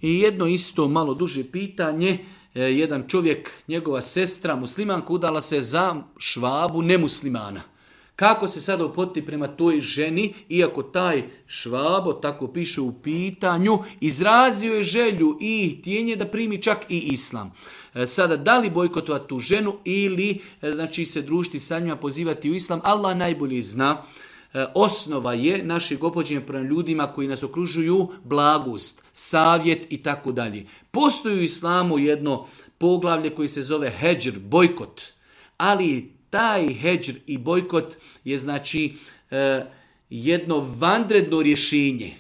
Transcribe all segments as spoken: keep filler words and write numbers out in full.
I jedno isto malo duže pitanje. Jedan čovjek, njegova sestra, muslimanka, udala se za švabu nemuslimana. Kako se sada upoti prema toj ženi, iako taj švabo, tako piše u pitanju, izrazio je želju i htjenje da primi čak i islam. Sada, da li bojkotovati tu ženu ili znači se družiti sa njima, pozivati u islam, Allah najbolje zna. Osnova je našeg opođenja prema ljudima koji nas okružuju blagost, savjet i tako dalje. Postoji u islamu jedno poglavlje koji se zove hedžr, bojkot, ali taj hedžr i bojkot je znači jedno vanredno rješenje.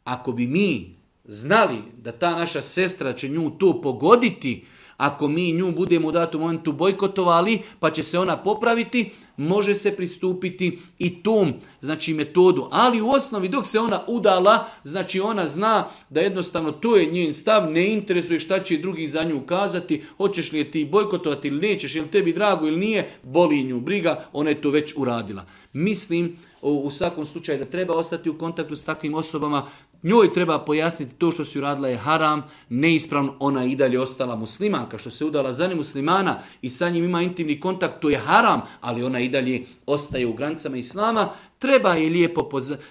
Ako bi mi znali da ta naša sestra će nju to pogoditi, ako mi nju budemo u datom momentu bojkotovali, pa će se ona popraviti, može se pristupiti i tom znači metodu. Ali u osnovi dok se ona udala, znači ona zna da jednostavno to je njen stav, ne interesuje šta će drugi za nju ukazati, hoćeš li je ti bojkotovati ili nećeš, je li tebi drago ili nije, boli nju briga, ona je to već uradila. Mislim u svakom slučaju da treba ostati u kontaktu s takvim osobama, njoj treba pojasniti to što si uradila je haram, neispravno, ona i dalje ostala muslimanka, što se udala za nemuslimana i sa njim ima intimni kontakt, to je haram, ali ona i dalje ostaje u granicama islama, treba je lijepo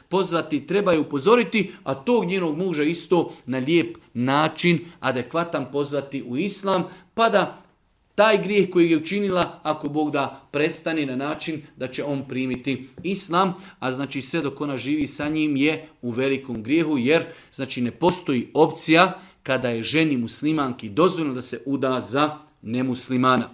pozvati, treba je upozoriti, a tog njenog muža isto na lijep način, adekvatan pozvati u islam, pa da taj grijeh koji je učinila, ako Bog da, prestane na način da će on primiti islam, a znači sve dok ona živi sa njim je u velikom grijehu, jer znači ne postoji opcija kada je ženi muslimanki dozvoljeno da se uda za nemuslimana.